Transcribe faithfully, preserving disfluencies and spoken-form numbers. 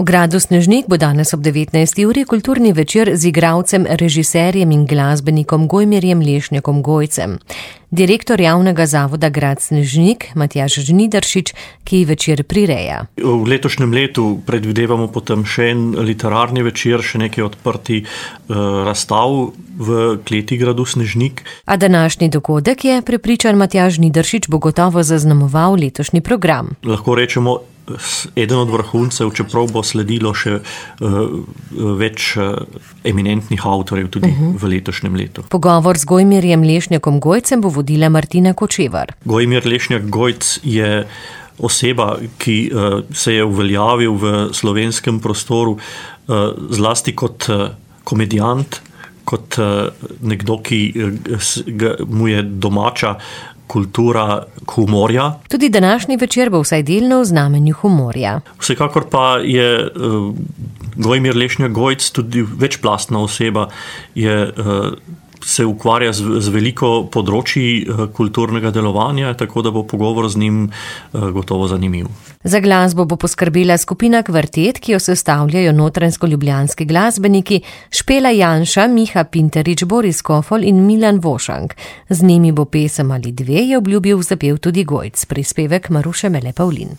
V gradu Snežnik bo danes ob devetnajsti uri kulturni večer z igralcem, režiserjem in glasbenikom Gojmirjem Lešnjakom Gojcem. Direktor javnega zavoda grad Snežnik, Matjaž Žnidaršič, ki večer prireja. V letošnjem letu predvidevamo potem še en literarni večer, še nekaj odprti uh, razstav v kleti gradu Snežnik. A današnji dogodek je, prepričan Matjaž Žnidaršič, bo gotovo zaznamoval letošnji program. Lahko rečemo, eden od vrhuncev, čeprav bo sledilo še uh, več uh, eminentnih avtorjev tudi uh-huh. v letošnjem letu. Pogovor z Gojmirjem Lešnjakom Gojcem bo vodila Martina Kočevar. Gojmir Lešnjak Gojc je oseba, ki uh, se je uveljavil v slovenskem prostoru uh, zlasti kot uh, komedijant, kot uh, nekdo, ki uh, mu je domača kultura humorja. Tudi današnji večer bo vsaj delno v znamenju humorja. Vsekakor pa je uh, Gojmir Lešnjak Gojc tudi večplastna oseba, je, uh, se ukvarja z, z veliko področji uh, kulturnega delovanja, tako da bo pogovor z njim uh, gotovo zanimiv. Za glasbo bo poskrbela skupina Kvartet, ki jo sestavljajo notranjsko-ljubljanski glasbeniki Špela Janša, Miha Pinterič, Boris Kofol in Milan Vošank. Z njimi bo pesem ali dve, je obljubil, zapel tudi Gojc, prispevek Maruše Mele Pavlin.